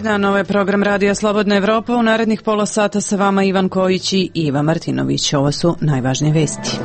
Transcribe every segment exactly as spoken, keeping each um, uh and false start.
Dobar dan, ovo je program Radija Slobodna Evropa. U narednih pola sata sa vama Ivan Kojić i Iva Martinović. Ovo su najvažnije vesti.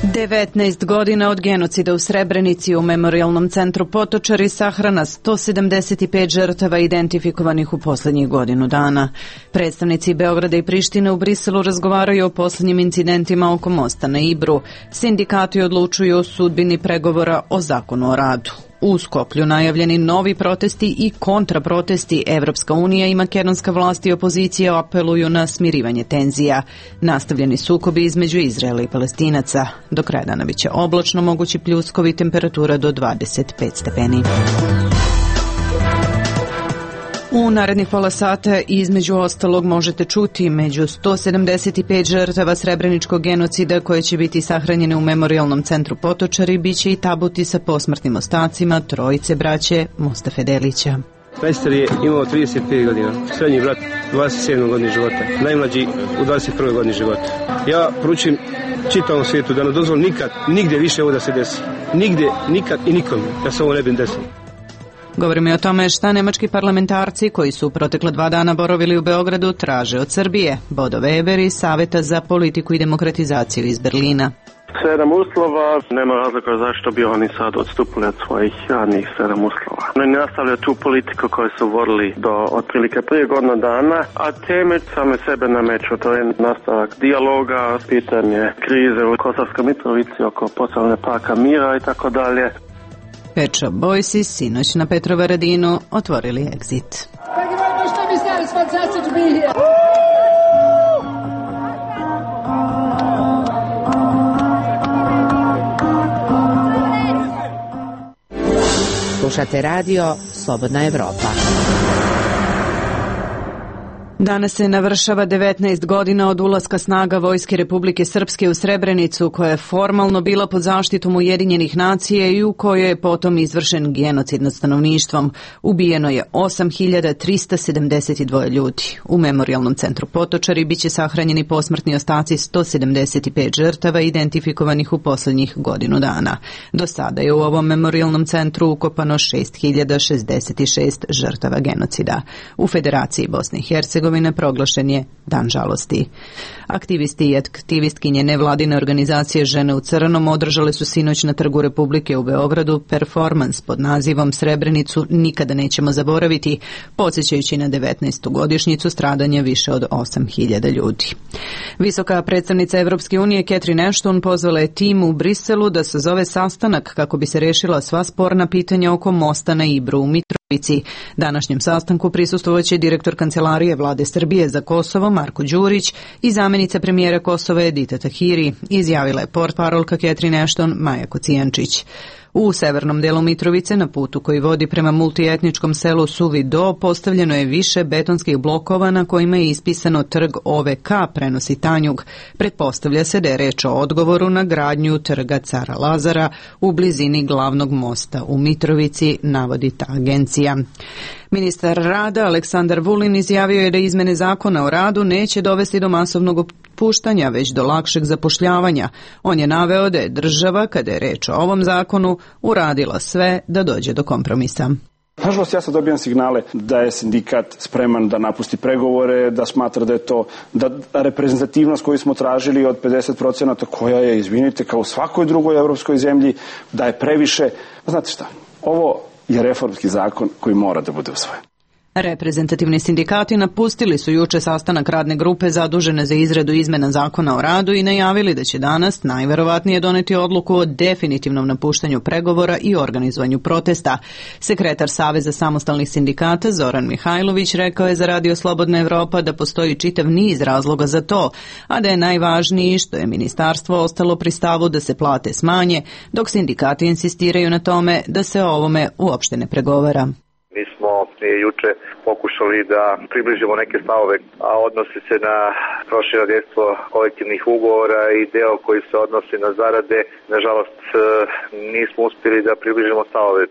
devetnaest godina od genocida u Srebrenici. U Memorijalnom centru Potočari sahrana sto sedamdeset pet žrtava identifikovanih u poslednjih godinu dana. Predstavnici Beograda i Prištine u Briselu razgovaraju o poslednjim incidentima oko mosta na Ibru. Sindikati odlučuju o sudbini pregovora o zakonu o radu. U Skoplju najavljeni novi protesti i kontraprotesti. Evropska unija i makedonska vlast i opozicija apeluju na smirivanje tenzija. Nastavljeni sukobi između Izraela i Palestinaca. Do kraja dana biće oblačno, mogući pljuskovi, temperatura do dvadeset pet stepeni. U narednih pola sata između ostalog možete čuti među sto sedamdeset pet žrtava srebreničkog genocida koje će biti sahranjene u Memorijalnom centru Potočari, biće i tabuti sa posmrtnim ostacima trojice braće Mustafe Delića. Najstariji je imao trideset pet godina, srednji brat dvadeset sedam godina života, najmlađi u dvadeset prvoj godini života. Ja poručujem čitavom svijetu da ne dozvolim nikad, nigde više ovo da se desi. Nigde, nikad i nikom da se ovo ne bi desilo. Govorimo i o tome šta nemački parlamentarci koji su protekla dva dana boravili u Beogradu traže od Srbije. Bodo Weber iz Saveta za politiku i demokratizaciju iz Berlina. Sedam uslova, nema razloga zašto bi oni sad odstupili od svojih radnih sedam uslova. Oni nastavljaju tu politiku koju su vodili do otprilike prije godina dana, a teme same sebe nameću. To je nastavak dijaloga, pitanje krize u Kosovskoj Mitrovici oko postavljanja parka mira i tako dalje. Pet Shop Boysi sinoć na Petrovaradinu otvorili Exit. Slušate radio Slobodna Evropa. Danas se navršava devetnaest godina od ulaska snaga Vojske Republike Srpske u Srebrenicu, koja je formalno bila pod zaštitom Ujedinjenih nacija i u kojoj je potom izvršen genocid nad stanovništvom. Ubijeno je osam hiljada trista sedamdeset dva ljudi. U Memorijalnom centru Potočari biće sahranjeni posmrtni ostaci sto sedamdeset pet žrtava identifikovanih u poslednjih godinu dana. Do sada je u ovom memorijalnom centru ukopano šest hiljada šezdeset šest žrtava genocida. U Federaciji Bosne i Hercegovine proglašen je Dan žalosti. Aktivisti i aktivistkinje nevladine organizacije Žene u crnom održale su sinoć na Trgu Republike u Beogradu performans pod nazivom Srebrenicu nikada nećemo zaboraviti, podsjećajući na devetnaestu godišnjicu stradanja više od osam hiljada ljudi. Visoka predstavnica Evropske unije Catherine Ashton pozvala je tim u Briselu da sazove sastanak kako bi se rešila sva sporna pitanja oko mosta na Ibru u Mitrovici. Današnjem sastanku prisustvovaće direktor Kancelarije Vlade Srbije za Kosovo Marko Đurić i zamenica premijera Kosova Edita Tahiri, izjavila je portparolka Catherine Ashton Maja Kocijančić. U severnom delu Mitrovice, na putu koji vodi prema multietničkom selu Suvi Do, postavljeno je više betonskih blokova na kojima je ispisano Trg O V K, prenosi Tanjug. Pretpostavlja se da je reč o odgovoru na gradnju Trga Cara Lazara u blizini glavnog mosta u Mitrovici, navodi ta agencija. Ministar rada Aleksandar Vulin izjavio je da izmene zakona o radu neće dovesti do masovnog otpuštanja, već do lakšeg zapošljavanja. On je naveo da je država, kada je reč o ovom zakonu, uradila sve da dođe do kompromisa. Nažalost, ja sad dobijam signale da je sindikat spreman da napusti pregovore, da smatra da je to, da reprezentativnost koju smo tražili od pedeset procenata, koja je, izvinite, kao u svakoj drugoj evropskoj zemlji, da je previše. Znate šta, ovo je reformski zakon koji mora da bude usvojen. Reprezentativni sindikati napustili su juče sastanak radne grupe zadužene za izradu izmena zakona o radu i najavili da će danas najverovatnije doneti odluku o definitivnom napuštanju pregovora i organizovanju protesta. Sekretar Saveza samostalnih sindikata Zoran Mihajlović rekao je za Radio Slobodna Evropa da postoji čitav niz razloga za to, a da je najvažniji što je ministarstvo ostalo pri stavu da se plate smanje, dok sindikati insistiraju na tome da se o ovome uopšte ne pregovara. Mi smo juče pokušali da približimo neke stavove, a odnosi se na prošireno dejstvo kolektivnih ugovora i deo koji se odnosi na zarade. Nažalost, nismo uspjeli da približimo stavove.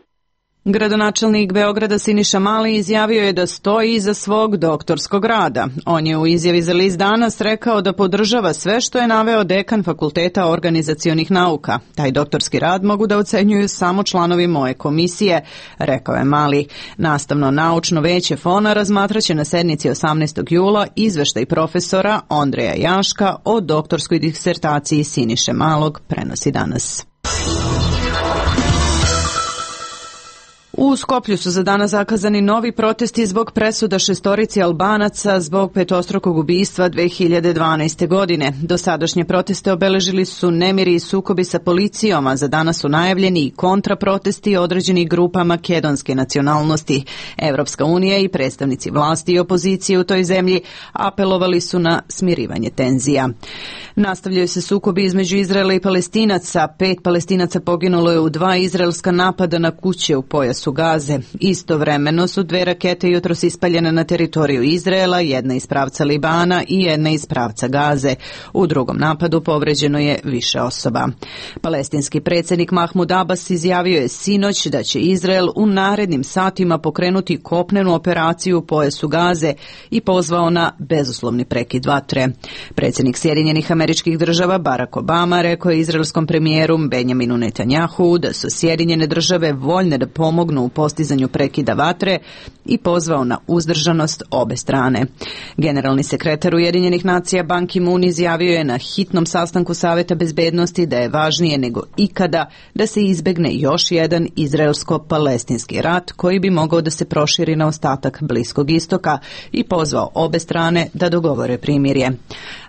Gradonačelnik Beograda Siniša Mali izjavio je da stoji iza svog doktorskog rada. On je u izjavi za list Danas rekao da podržava sve što je naveo dekan Fakulteta organizacionih nauka. Taj doktorski rad mogu da ocenjuju samo članovi moje komisije, rekao je Mali. Nastavno naučno veće Fona razmatraće na sednici osamnaestog jula izveštaj profesora Ondreja Jaška o doktorskoj disertaciji Siniše Malog, prenosi Danas. U Skoplju su za danas zakazani novi protesti zbog presuda šestorici Albanaca zbog petostrukog ubistva dve hiljade dvanaeste. godine. Dosadašnje proteste obeležili su nemiri i sukobi sa policijom, a za danas su najavljeni i kontraprotesti određenih grupa makedonske nacionalnosti. Evropska unija i predstavnici vlasti i opozicije u toj zemlji apelovali su na smirivanje tenzija. Nastavljaju se sukobi između Izraela i Palestinaca. Pet Palestinaca poginulo je u dva izraelska napada na kuće u pojasu Gaze. Istovremeno su dve rakete jutros ispaljene na teritoriju Izraela, jedna iz pravca Libana i jedna iz pravca Gaze. U drugom napadu povređeno je više osoba. Palestinski predsjednik Mahmud Abbas izjavio je sinoć da će Izrael u narednim satima pokrenuti kopnenu operaciju u pojasu Gaze i pozvao na bezuslovni prekid vatre. Predsjednik Sjedinjenih Američkih Država Barack Obama rekao je izraelskom premijeru Benjaminu Netanjahu da su Sjedinjene Države voljne da pomognu u postizanju prekida vatre i pozvao na uzdržanost obe strane. Generalni sekretar Ujedinjenih nacija Ban Ki-moon izjavio je na hitnom sastanku Saveta bezbednosti da je važnije nego ikada da se izbegne još jedan izraelsko-palestinski rat koji bi mogao da se proširi na ostatak Bliskog istoka i pozvao obe strane da dogovore primirje.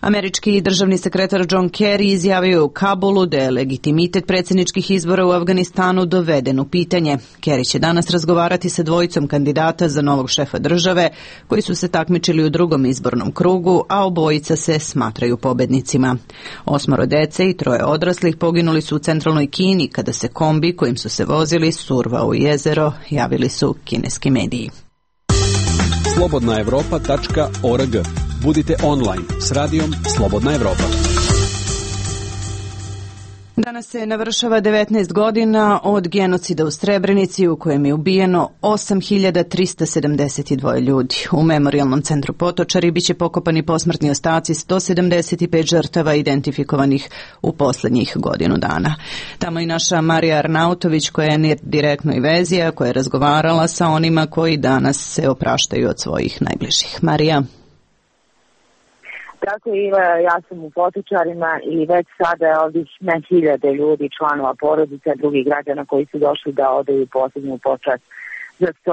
Američki državni sekretar John Kerry izjavio u Kabulu da je legitimitet predsjedničkih izbora u Afganistanu doveden u pitanje. Kerry će danas razgovarati sa dvojicom kandidata za novog šefa države koji su se takmičili u drugom izbornom krugu, a obojica se smatraju pobednicima. Osmoro dece i troje odraslih poginuli su u centralnoj Kini kada se kombi kojim su se vozili survao u jezero, javili su kineski mediji. slobodna evropa tačka org. Budite online s radijom Slobodna Evropa. Danas se navršava devetnaest godina od genocida u Srebrenici u kojem je ubijeno osam hiljada trista sedamdeset dva ljudi. U memorijalnom centru Potočari biće pokopani posmrtni ostaci sto sedamdeset pet žrtava identifikovanih u posljednjih godinu dana. Tamo i naša Marija Arnautović koja je direktno i vezija, koja je razgovarala sa onima koji danas se opraštaju od svojih najbližih. Marija. Tako i ja sam u Potočarima i već sada je ovdje na hiljade ljudi, članova porodica, drugih građana koji su došli da odaju posljednju počast za sto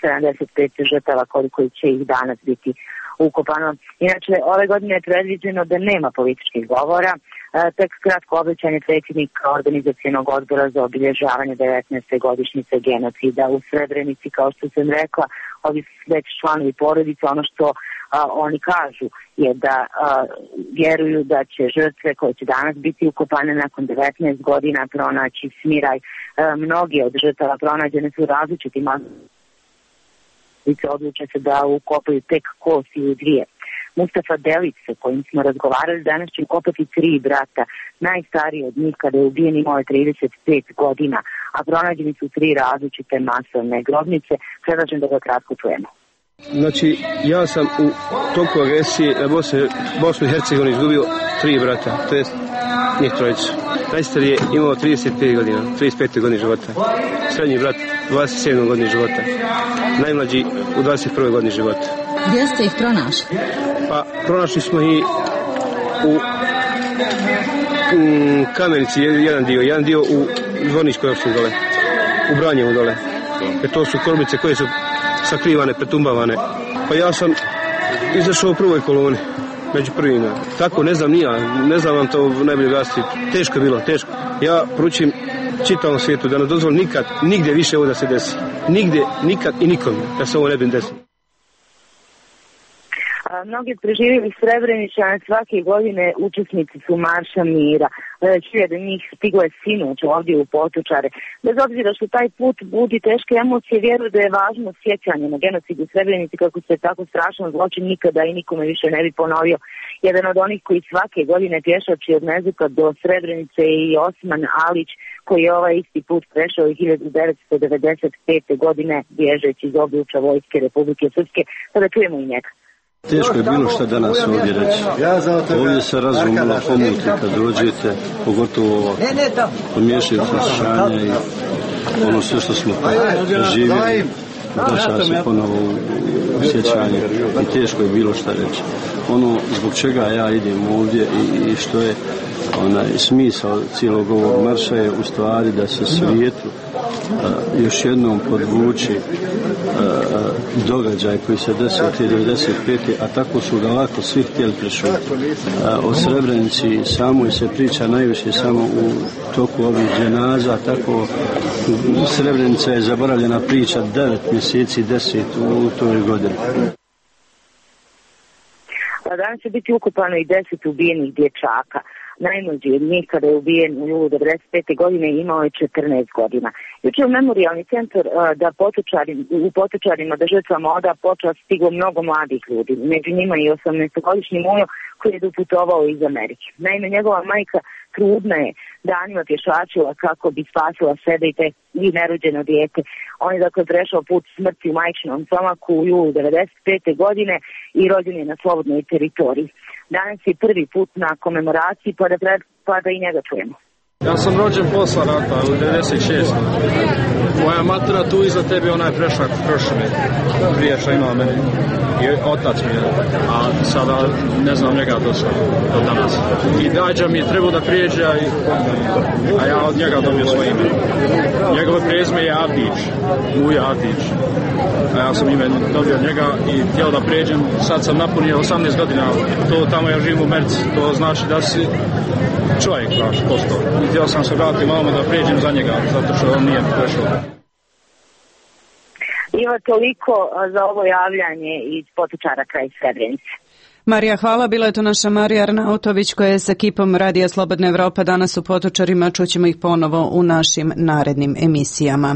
sedamdeset pet žrtava koliko će ih danas biti ukopano. Inače, ove godine je predviđeno da nema političkih govora, tek kratko obećanje predsjednika organizacionog odbora za obilježavanje devetnaeste godišnjice genocida u Srebrenici. Kao što sam rekla, ovi već članovi porodice, ono što a, oni kažu je da a, vjeruju da će žrtve koje će danas biti ukopane nakon devetnaest godina pronaći smiraj. A, mnogi od žrtava pronađene su različitim odluče se da ukopaju tek kost ili dvije. Mustafa Delić, sa kojim smo razgovarali, danas će ukopati tri brata. Najstariji od njih kada je ubijen imao je trideset pet godina, a pronađeni su tri različite masovne grobnice. Predlažem da ga kratko čujemo. Znači, ja sam u toku agresije na Bosnu i Hercegovini izgubio tri brata, to jest njih trojicu. Najstariji je imao trideset pet godina, trideset pet godine života. Srednji brat dvadeset sedam godine života. Najmlađi u dvadeset prvoj godini života. Gdje ste ih pronašli? Pa, pronašli smo ih u um, Kamenici, jedan dio, jedan dio u Zvorničkoj opštini dole, u Branjevu dole. Jer to su korbice koje su sakrivane, pretumbavane. Pa ja sam izašao u prvoj koloni, među prvima. Tako, ne znam nija, ne znam vam to najbolje glasiti. Teško je bilo, teško. Ja poručim čitavom svijetu da ne dozvoli nikad, nigdje više ovo da se desi. Nigdje, nikad i nikom da se ovo ne bi desilo. Mnogi preživjeli Srebreničane svake godine učesnici su Marša mira. Hiljade njih stiglo je sinoć ovdje u Potočare. Bez obzira što taj put budi teške emocije, vjeruju da je važno sjećanje na genocid u Srebrenici kako se tako strašan zločin nikada i nikome više ne bi ponovio. Jedan od onih koji svake godine pješači od Mezuka do Srebrenice i Osman Alić koji je ovaj isti put prešao i hiljadu devetsto devedeset pete. godine bježeći iz obliča Vojske Republike Srpske, pa da čujemo i njega. Teško je bilo što danas ovdje reći. Ovdje se razum malo pomuti kad dođete, pogotovo ovo pomiješaju saslušanja i ono sve što smo živjeli. Vraća se ponovo u sjećanje i teško je bilo šta reći. Ono zbog čega ja idem ovdje i, i što je onaj smisao cijelog ovog marša je u stvari da se svijetu a, još jednom podvuči a, događaj koji se desio devedeset pete. a tako su ga lako svi htjeli prešuti. O Srebrenici samoj se priča najviše samo u toku ovih dženaza, tako Srebrenica je zaboravljena priča devet mjeseci, deset u toj godini. Danas će biti ukupano i deset ubijenih dječaka. Najmlađi od njih kada je ubijen u julu devedeset pete. godine imao je četrnaest godina. Juče u memorijalni centar da potočari, u Potočarima da žrtvama oda počast stiglo mnogo mladih ljudi. Među njima i osamnaestogodišnji Mujo koji je doputovao iz Amerike. Naime, njegova majka trudna je danima pješačila kako bi spasila sebe i, te, i nerođeno dijete. On je dakle prešao put smrti u majčinom stomaku u julu devedeset pete. godine i rođen je na slobodnoj teritoriji. Danas je prvi put na komemoraciji, pa da, pa da i njega čujemo. Ja sam rođen posla rata u devedeset šestoj. Moja matura tu iza tebe, onaj prešak prošle prije što imao mene. I otac mi je, a sada ne znam njega do sada, do danas. I dađa mi je trebao da prijeđe, a, a ja od njega dobio svoje ime. Njegove prezime je Avdić, Muja Avdić. A ja sam ime dobio od njega i htio da prijeđem. Sad sam napunio osamnaest godina, to tamo ja živim u Merci, to znači da si čovjek, znaš, postao. I htio sam se vratiti malo da prijeđem za njega, zato što on nije prešao. Ima toliko za ovo javljanje iz Potočara kraj Srebrenice. Marija, hvala. Bila je to naša Marija Arnautović koja je sa ekipom Radija Slobodna Evropa danas u Potočarima. Čućemo ih ponovo u našim narednim emisijama.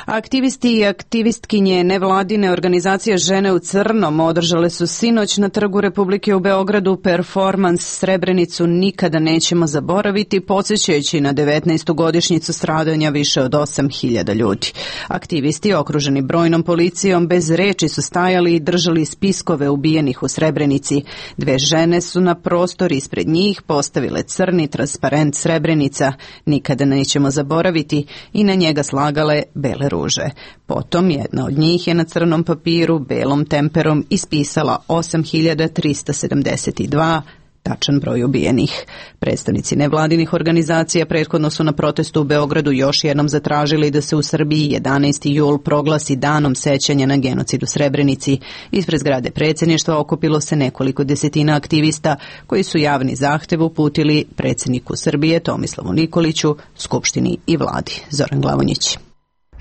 Aktivisti i aktivistkinje nevladine organizacije Žene u crnom održale su sinoć na Trgu Republike u Beogradu performans Srebrenicu nikada nećemo zaboraviti, podsjećajući na devetnaestu godišnjicu stradanja više od osam hiljada ljudi. Aktivisti, okruženi brojnom policijom, bez reči su stajali i držali spiskove ubijenih u Srebrenici. Dve žene su na prostor ispred njih postavile crni transparent Srebrenica, nikada nećemo zaboraviti, i na njega slagale bele ruže. Potom jedna od njih je na crnom papiru belom temperom ispisala osam hiljada trista sedamdeset dva, tačan broj ubijenih. Predstavnici nevladinih organizacija prethodno su na protestu u Beogradu još jednom zatražili da se u Srbiji jedanaesti jul proglasi danom sećanja na genocid u Srebrenici. Ispred zgrade predsjedništva okupilo se nekoliko desetina aktivista koji su javni zahtev uputili predsjedniku Srbije Tomislavu Nikoliću, Skupštini i vladi. Zoran Glavonjić.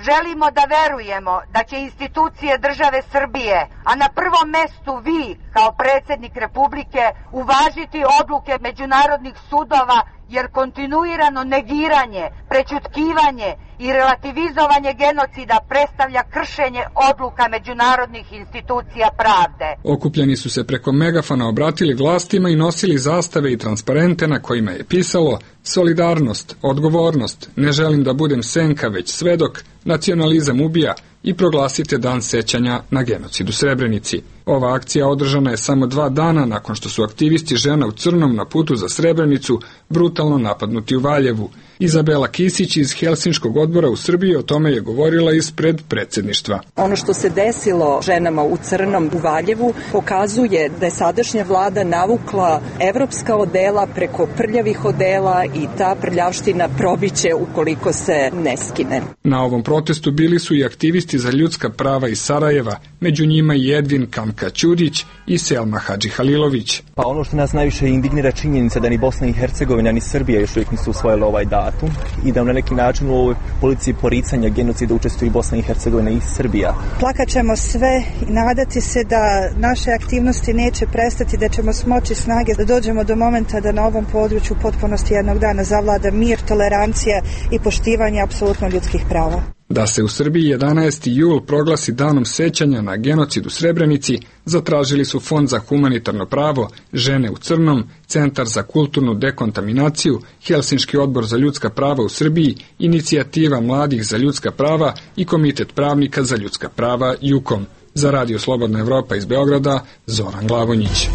Želimo da verujemo da će institucije države Srbije, a na prvom mestu vi kao predsjednik Republike, uvažiti odluke međunarodnih sudova, jer kontinuirano negiranje, prećutkivanje i relativizovanje genocida predstavlja kršenje odluka međunarodnih institucija pravde. Okupljeni su se preko megafona obratili vlastima i nosili zastave i transparente na kojima je pisalo solidarnost, odgovornost, ne želim da budem senka već svedok, nacionalizam ubija i proglasite dan sećanja na genocid u Srebrenici. Ova akcija održana je samo dva dana nakon što su aktivisti Žena u crnom na putu za Srebrenicu brutalno napadnuti u Valjevu. Izabela Kisić iz Helsinškog odbora u Srbiji o tome je govorila ispred predsjedništva. Ono što se desilo ženama u crnom u Valjevu pokazuje da je sadašnja vlada navukla evropska odela preko prljavih odela i ta prljavština probiće ukoliko se ne skine. Na ovom protestu bili su i aktivisti za ljudska prava iz Sarajeva, među njima i Edvin Kamka Ćurić i Selma Hadži Halilović. Pa ono što nas najviše indignira činjenica da ni Bosna i Hercegovina ni Srbija još uvijek nisu usvojile ovaj datum i da na neki način u ovoj policiji poricanja genocida učestvuju i Bosna i Hercegovina i Srbija. Plakat ćemo sve i nadati se da naše aktivnosti neće prestati, da ćemo smoći snage da dođemo do momenta da na ovom području potpunosti jednog dana zavlada mir, tolerancija i poštivanje apsolutno ljudskih prava. Da se u Srbiji jedanaesti jul proglasi danom sećanja na genocid u Srebrenici, zatražili su Fond za humanitarno pravo, Žene u crnom, Centar za kulturnu dekontaminaciju, Helsinški odbor za ljudska prava u Srbiji, Inicijativa mladih za ljudska prava i Komitet pravnika za ljudska prava Jukom. Za Radio Slobodna Evropa iz Beograda, Zoran Glavonjić.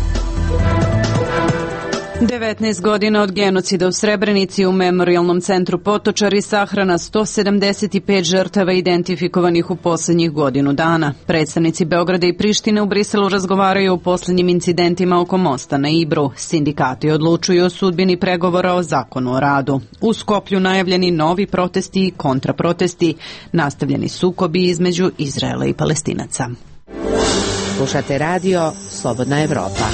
devetnaest godina od genocida u Srebrenici, u Memorijalnom centru Potočari sahrana sto sedamdeset pet žrtava identifikovanih u poslednjih godinu dana. Predstavnici Beograda i Prištine u Briselu razgovaraju o poslednjim incidentima oko mosta na Ibru. Sindikati odlučuju o sudbini pregovora o zakonu o radu. U Skoplju najavljeni novi protesti i kontraprotesti, nastavljeni sukobi između Izraela i Palestinaca. Slušate radio Slobodna Evropa.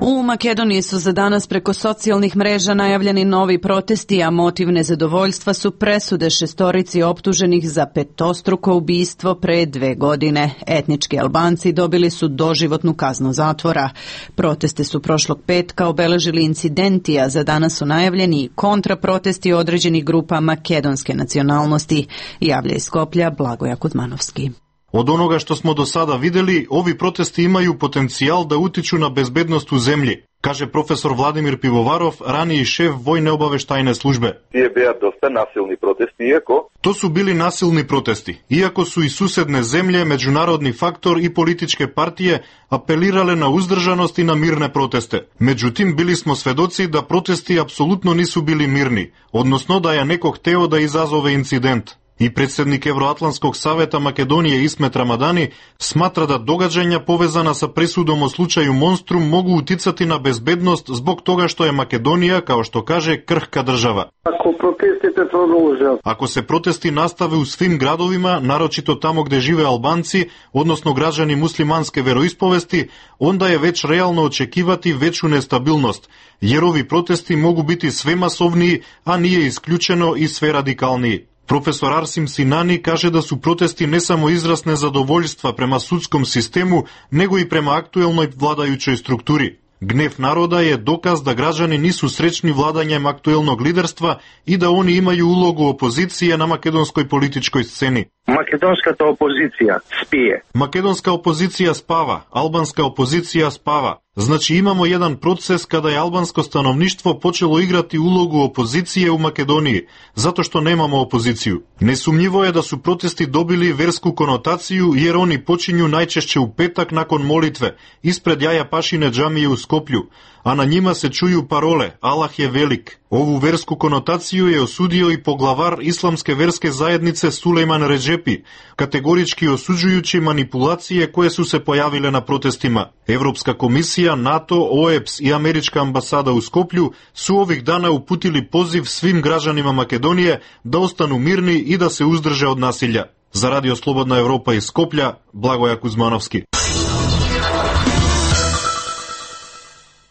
U Makedoniji su za danas preko socijalnih mreža najavljeni novi protesti, a motiv nezadovoljstva su presude šestorici optuženih za petostruko ubistvo pre dve godine. Etnički Albanci dobili su doživotnu kaznu zatvora. Proteste su prošlog petka obeležili incidenti, a za danas su najavljeni kontraprotesti određenih grupa makedonske nacionalnosti. Javlja iz Skoplja Blagoja Kuzmanovski. Od onoga što smo do sada videli, ovi protesti imaju potencijal da utiču na bezbednost u zemlji, kaže profesor Vladimir Pivovarov, raniji šef Vojne obaveštajne službe. Tije bija dosta nasilni protesti, iako... To su bili nasilni protesti, iako su i susedne zemlje, međunarodni faktor i političke partije apelirale na uzdržanost i na mirne proteste. Međutim, bili smo svedoci da protesti apsolutno nisu bili mirni, odnosno da je neko hteo da izazove incident. I predsjednik Evroatlantskog saveta Makedonije Ismet Ramadani smatra da događanja povezana sa presudom o slučaju Monstrum mogu uticati na bezbednost zbog toga što je Makedonija, kao što kaže, krhka država. Ako protestite produže. Ako se protesti nastave u svim gradovima, naročito tamo gde žive Albanci, odnosno građani muslimanske veroispovesti, onda je već realno očekivati veću nestabilnost, jer ovi protesti mogu biti sve masovniji, a nije isključeno i sve radikalniji. Profesor Arsim Sinani kaže da su protesti ne samo izraz nezadovoljstva prema sudskom sistemu, nego i prema aktuelnoj vladajućoj strukturi. Gnev naroda je dokaz da građani nisu srećni vladanjem aktuelnog liderstva i da oni imaju ulogu opozicije na makedonskoj političkoj sceni. Makedonska opozicija spije. Makedonska opozicija spava, albanska opozicija spava. Znači imamo jedan proces kada je albansko stanovništvo počelo igrati ulogu opozicije u Makedoniji, zato što nemamo opoziciju. Nesumnjivo je da su protesti dobili versku konotaciju jer oni počinju najčešće u petak nakon molitve, ispred Jaja Pašine džamije u Skoplju, a na njima se čuju parole Allah je velik. Ovu versku konotaciju je osudio i poglavar islamske verske zajednice Sulejman Redžepi, kategorički osuđujući manipulacije koje su se pojavile na protestima. Evropska komisija, NATO, O E P S i američka ambasada u Skoplju su ovih dana uputili poziv svim građanima Makedonije da ostanu mirni i da se uzdrže od nasilja. Za Radio Slobodna Evropa iz Skoplja, Blagoja Kuzmanovski.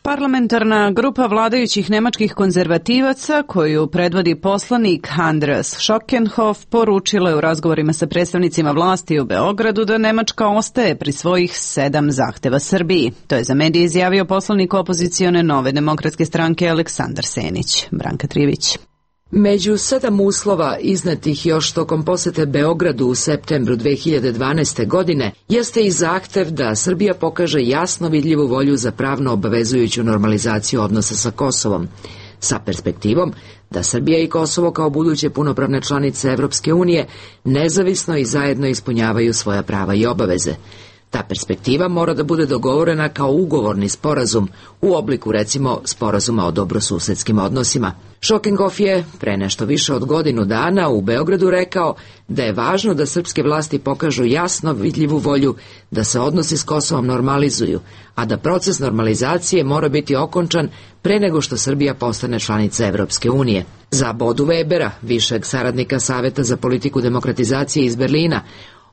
Parlamentarna grupa vladajućih nemačkih konzervativaca, koju predvodi poslanik Andreas Schockenhoff, poručila je u razgovorima sa predstavnicima vlasti u Beogradu da Nemačka ostaje pri svojih sedam zahteva Srbiji. To je za medije izjavio poslanik opozicione Nove demokratske stranke Aleksandar Senić. Branka Trivić. Među sedam uslova iznetih još tokom posete Beogradu u septembru dve hiljade dvanaeste. godine jeste i zahtev da Srbija pokaže jasno vidljivu volju za pravno obavezujuću normalizaciju odnosa sa Kosovom, sa perspektivom da Srbija i Kosovo kao buduće punopravne članice Evropske unije nezavisno i zajedno ispunjavaju svoja prava i obaveze. Ta perspektiva mora da bude dogovorena kao ugovorni sporazum u obliku, recimo, sporazuma o dobrosusedskim odnosima. Schockenhoff je pre nešto više od godinu dana u Beogradu rekao da je važno da srpske vlasti pokažu jasno vidljivu volju da se odnosi s Kosovom normalizuju, a da proces normalizacije mora biti okončan pre nego što Srbija postane članica Evropske unije. Za Bodu Webera, višeg saradnika Saveta za politiku demokratizacije iz Berlina,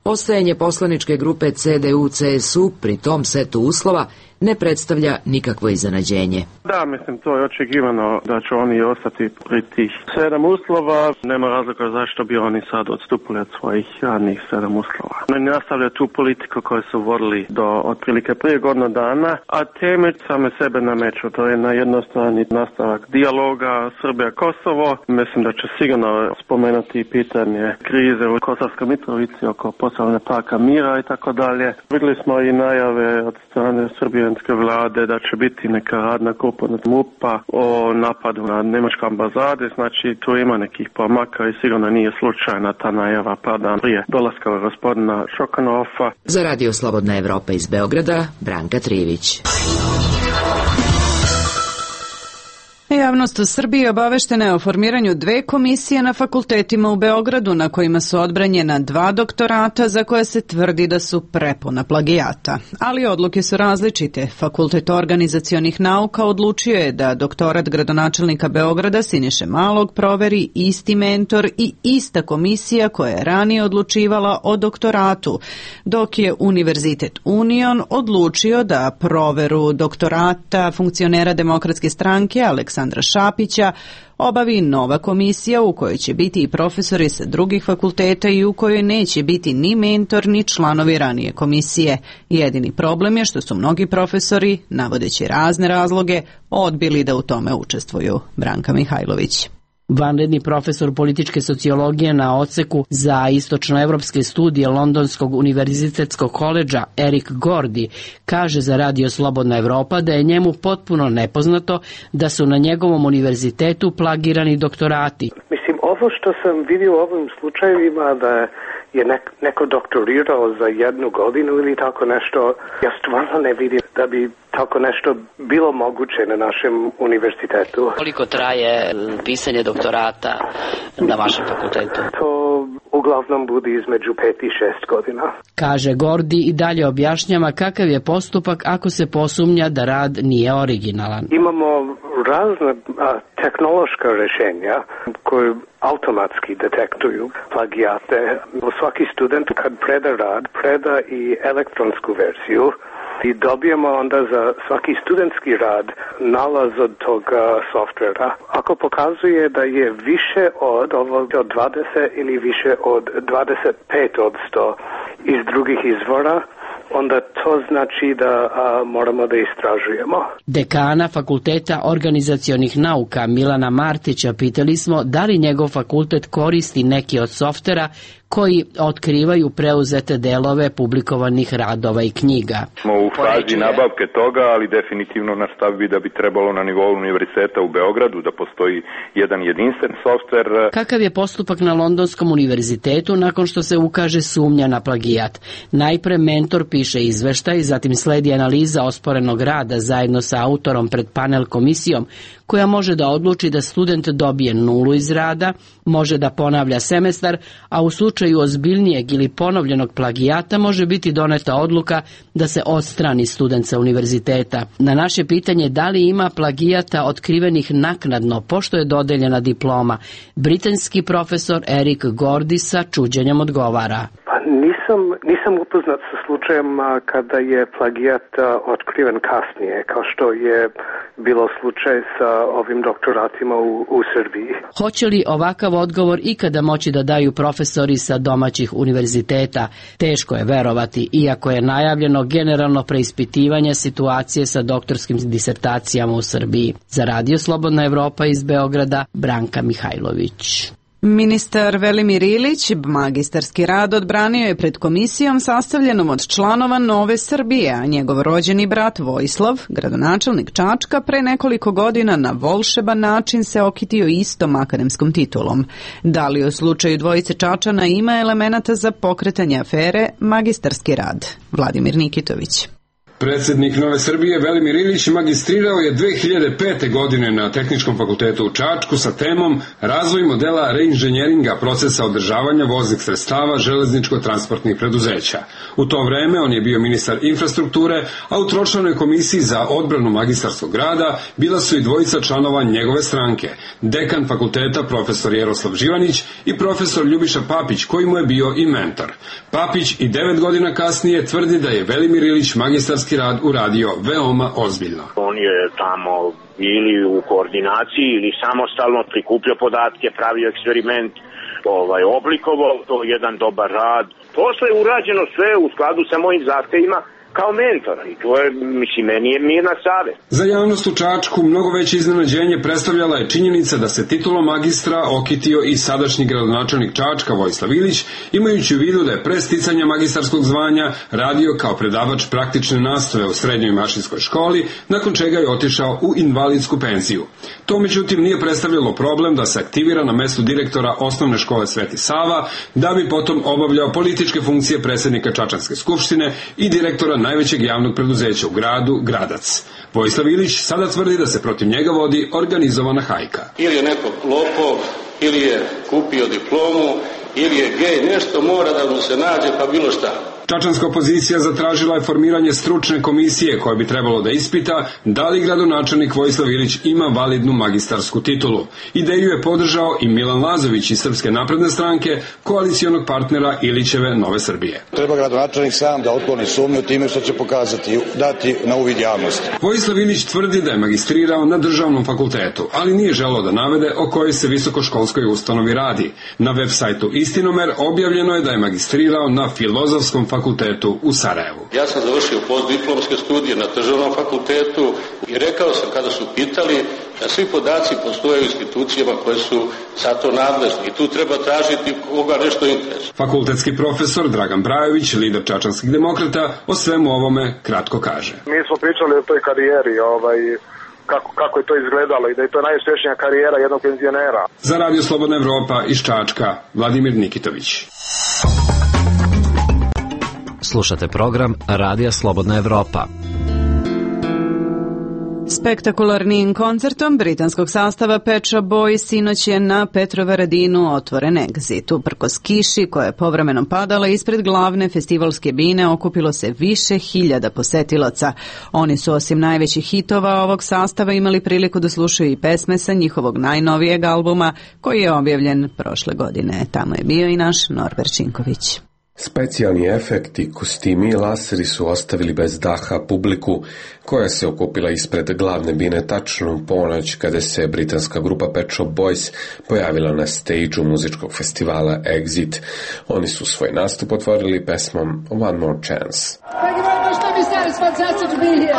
ostajanje poslaničke grupe C D U C S U pri tom setu uslova ne predstavlja nikakvo iznenađenje. Da, mislim, to je očekivano da će oni ostati pri tih sedam uslova. Nema razloga zašto bi oni sad odstupili od svojih radnih sedam uslova. Oni nastavljaju tu politiku koju su vodili do otprilike prije godinu dana, a teme same sebe nameću. To je na jednoj strani nastavak dijaloga Srbija-Kosovo. Mislim da će sigurno spomenuti pitanje krize u Kosovskoj Mitrovici oko postavljanja parka mira i tako dalje. Vidjeli smo i najave od strane srbijanske vlade da će biti neka radna grupa od M U P-a o napadu na njemačke ambasade. Znači tu ima nekih pomaka i sigurno nije slučajna ta najava par dan prije dolaska gospodina Šokanova. Za Radio Slobodna Evropa iz Beograda, Branka Trivić. Javnost u Srbiji obaveštena je o formiranju dve komisije na fakultetima u Beogradu na kojima su odbranjena dva doktorata za koje se tvrdi da su prepuna plagijata. Ali odluke su različite. Fakultet organizacionih nauka odlučio je da doktorat gradonačelnika Beograda Siniše Malog proveri isti mentor i ista komisija koja je ranije odlučivala o doktoratu, dok je Univerzitet Union odlučio da proveru doktorata funkcionera Demokratske stranke Aleksandra Aleksandra Šapića obavi nova komisija u kojoj će biti i profesori sa drugih fakulteta i u kojoj neće biti ni mentor ni članovi ranije komisije. Jedini problem je što su mnogi profesori, navodeći razne razloge, odbili da u tome učestvuju. Branka Mihajlović. Vanredni profesor političke sociologije na odseku za istočnoevropske studije Londonskog univerzitetskog koledža Erik Gordi kaže za Radio Slobodna Evropa da je njemu potpuno nepoznato da su na njegovom univerzitetu plagirani doktorati. Mislim, ovo što sam vidio u ovim slučajevima da je nek, neko doktorirao za jednu godinu ili tako nešto, ja stvarno ne vidim da bi tako nešto bilo moguće na našem univerzitetu. Koliko traje pisanje doktorata na vašem fakultetu? To uglavnom bude između pet i šest godina. Kaže Gordi i dalje objašnjava kakav je postupak ako se posumnja da rad nije originalan. Imamo razne a, tehnološka rješenja koje automatski detektuju plagijate. Svaki student kad preda rad, preda i elektronsku verziju i dobijemo onda za svaki studentski rad nalaz od toga softvera. Ako pokazuje da je više od ovog od dvadeset ili više od dvadeset pet odsto iz drugih izvora, onda to znači da a, moramo da istražujemo. Dekana Fakulteta organizacionih nauka Milana Martića pitali smo da li njegov fakultet koristi neki od softvera koji otkrivaju preuzete delove publikovanih radova i knjiga. Smo u fazi nabavke toga, ali definitivno naš stav bi da bi trebalo na nivou univerziteta u Beogradu da postoji jedan jedinstven softver. Kakav je postupak na Londonskom univerzitetu nakon što se ukaže sumnja na plagijat? Najpre mentor piše izveštaj, zatim sledi analiza osporenog rada zajedno sa autorom pred panel komisijom, koja može da odluči da student dobije nulu iz rada, može da ponavlja semestar, a u slučaju ozbiljnijeg ili ponovljenog plagijata može biti doneta odluka da se odstrani student sa univerziteta. Na naše pitanje da li ima plagijata otkrivenih naknadno pošto je dodeljena diploma, britanski profesor Erik Gordy sa čuđenjem odgovara. Pa nisam, nisam upoznat sa slučajem kada je plagijat otkriven kasnije, kao što je bilo slučaj sa ovim doktoratima u, u Srbiji. Hoće li ovakav odgovor ikada moći da daju profesori sa domaćih univerziteta? Teško je verovati, iako je najavljeno generalno preispitivanje situacije sa doktorskim disertacijama u Srbiji. Za Radio Slobodna Evropa iz Beograda, Branka Mihajlović. Ministar Velimir Ilić magistarski rad odbranio je pred komisijom sastavljenom od članova Nove Srbije, a njegov rođeni brat Vojislav, gradonačelnik Čačka, pre nekoliko godina na volšeban način se okitio istom akademskom titulom. Da li u slučaju dvojice Čačana ima elemenata za pokretanje afere magistarski rad? Vladimir Nikitović. Predsjednik Nove Srbije Velimir Ilić magistrirao je dve hiljade pete. godine na Tehničkom fakultetu u Čačku sa temom Razvoj modela reinženjeringa procesa održavanja voznih sredstava železničko-transportnih preduzeća. U to vreme on je bio ministar infrastrukture, a u tročlanoj komisiji za odbranu magistarskog rada bila su i dvojica članova njegove stranke, dekan fakulteta profesor Jeroslav Živanić i profesor Ljubiša Papić, koji mu je bio i mentor. Papić i devet godina kasnije tvrdi da je Velimir Ilić magistarski novinarski rad uradio veoma ozbiljno. On je tamo ili u koordinaciji ili samostalno prikupljao podatke, pravio eksperiment, ovaj, oblikovao to jedan dobar rad. Posle je urađeno sve u skladu sa mojim zahtevima kao mentor i to je, mislim, meni je mirna savest. Za javnost u Čačku mnogo veće iznenađenje predstavljala je činjenica da se titulom magistra okitio i sadašnji gradonačelnik Čačka Vojislav Ilić, imajući u vidu da je pre sticanja magistarskog zvanja radio kao predavač praktične nastave u srednjoj mašinskoj školi, nakon čega je otišao u invalidsku penziju. To međutim nije predstavljalo problem da se aktivira na mestu direktora osnovne škole Sveti Sava, da bi potom obavljao političke funkcije predsjednika Čačanske skupštine i direktora najvećeg javnog preduzeća u gradu, Gradac. Vojislav Ilić sada tvrdi da se protiv njega vodi organizovana hajka. Ili je neko lopov, ili je kupio diplomu, ili je gej, nešto mora da mu se nađe, pa bilo šta. Čačanska opozicija zatražila je formiranje stručne komisije koja bi trebalo da ispita da li gradonačelnik Vojislav Ilić ima validnu magistarsku titulu. Ideju je podržao i Milan Lazović iz Srpske napredne stranke, koalicijonog partnera Ilićeve Nove Srbije. Treba gradonačelnik sam da otkloni sumnju time što će pokazati, dati na uvid javnosti. Vojislav Ilić tvrdi da je magistrirao na državnom fakultetu, ali nije želeo da navede o kojoj se visokoškolskoj ustanovi radi. Na web sajtu Istinomer objavljeno je da je magistrirao na Filozofskom fakultetu fakultetu u Sarajevu. Ja sam završio postdiplomske studije na državnom fakultetu i rekao sam kada su pitali da svi podaci postoje u institucijama koje su za to nadležni i tu treba tražiti koga nešto interesuje. Fakultetski profesor Dragan Brajović, lider čačanskih demokrata, o svemu ovome kratko kaže. Mi smo pričali o toj karijeri, ovaj, kako, kako je to izgledalo i da je to najuspješnija karijera jednog penzionera. Za Radio Slobodna Evropa iz Čačka, Vladimir Nikitović. Slušate program Radija Slobodna Evropa. Spektakularnim koncertom britanskog sastava Pet Shop Boys sinoć je na Petrovaradinu otvoren egzit. Uprkos kiši koja je povremeno padala ispred glavne festivalske bine okupilo se više hiljada posetilaca. Oni su osim najvećih hitova ovog sastava imali priliku da slušaju i pesme sa njihovog najnovijeg albuma koji je objavljen prošle godine. Tamo je bio i naš Norbert Činković. Specijalni efekti, kostimi i laseri su ostavili bez daha publiku koja se okupila ispred glavne bine tačno u ponoć kada se britanska grupa Pet Shop Boys pojavila na stage-u muzičkog festivala Exit. Oni su svoj nastup otvorili pesmom One More Chance. Thank you very much, let me say it's fantastic to be here.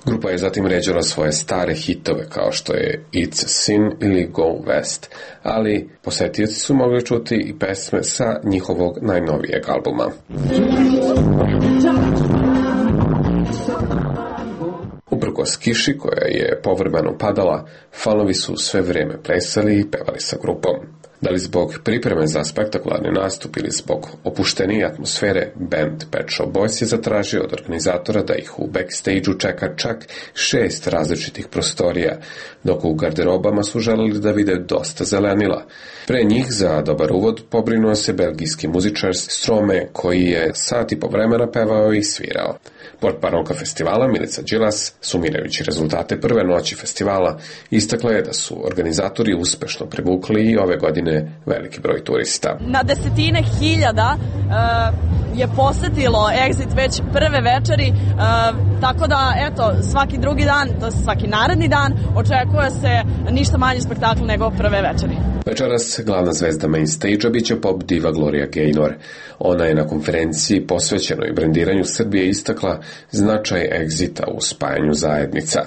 Grupa je zatim ređala svoje stare hitove kao što je It's a Sin ili Go West, ali posetioci su mogli čuti i pesme sa njihovog najnovijeg albuma. Uprkos kiši koja je povremeno padala, fanovi su sve vrijeme plesali i pevali sa grupom. Da li zbog pripreme za spektakularni nastup ili zbog opuštenije atmosfere, band Pet Shop Boys je zatražio od organizatora da ih u backstage-u čeka čak šest različitih prostorija, dok u garderobama su želeli da vide dosta zelenila. Pre njih za dobar uvod pobrinuo se belgijski muzičar Strome, koji je sat i po vremena pevao i svirao. Portparonka festivala Milica Đilas, sumirajući rezultate prve noći festivala, istakla je da su organizatori uspešno privukli i ove godine veliki broj turista. Na desetine hiljada uh, je posetilo Exit već prve večeri, uh, tako da eto, svaki drugi dan, to je svaki naredni dan, očekuje se ništa manje spektakl nego prve večeri. Večeras glavna zvezda main stage-a biće pop diva Gloria Gaynor. Ona je na konferenciji posvećenoj brendiranju Srbije istakla značaj Exita u spajanju zajednica.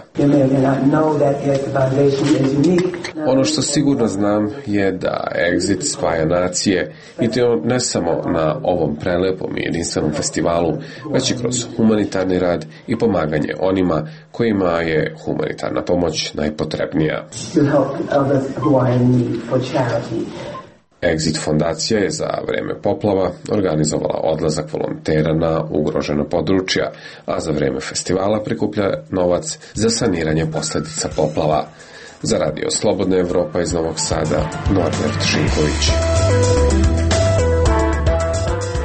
Ono što sigurno znam je da Exit spaja nacije i to ne samo na ovom prelepom i jedinstvenom festivalu, već i kroz humanitarni rad i pomaganje onima kojima je humanitarna pomoć najpotrebnija. Exit fondacija je za vreme poplava organizovala odlazak volontera na ugrožena područja, a za vreme festivala prikuplja novac za saniranje posljedica poplava. Za Radio Slobodna Evropa iz Novog Sada, Norbert Šinković.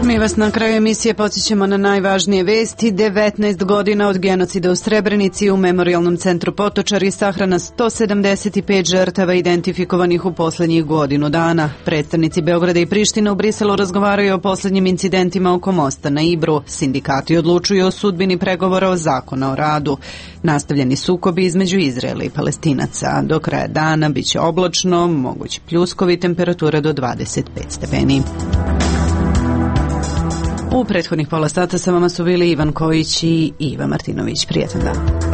Mi vas na kraju emisije podsjećamo na najvažnije vesti. devetnaest godina od genocida u Srebrenici, u Memorijalnom centru Potočari sahrana sto sedamdeset pet žrtava identifikovanih u poslednjih godinu dana. Predstavnici Beograda i Prištine u Briselu razgovaraju o poslednjim incidentima oko mosta na Ibru. Sindikati odlučuju o sudbini pregovora o zakona o radu. Nastavljeni sukobi između Izraela i Palestinaca. Do kraja dana biće oblačno, mogući pljuskovi, temperatura do dvadeset pet stepeni. U prethodnih pola sata sa vama su bili Ivan Kojić i Iva Martinović. Prijetan dan.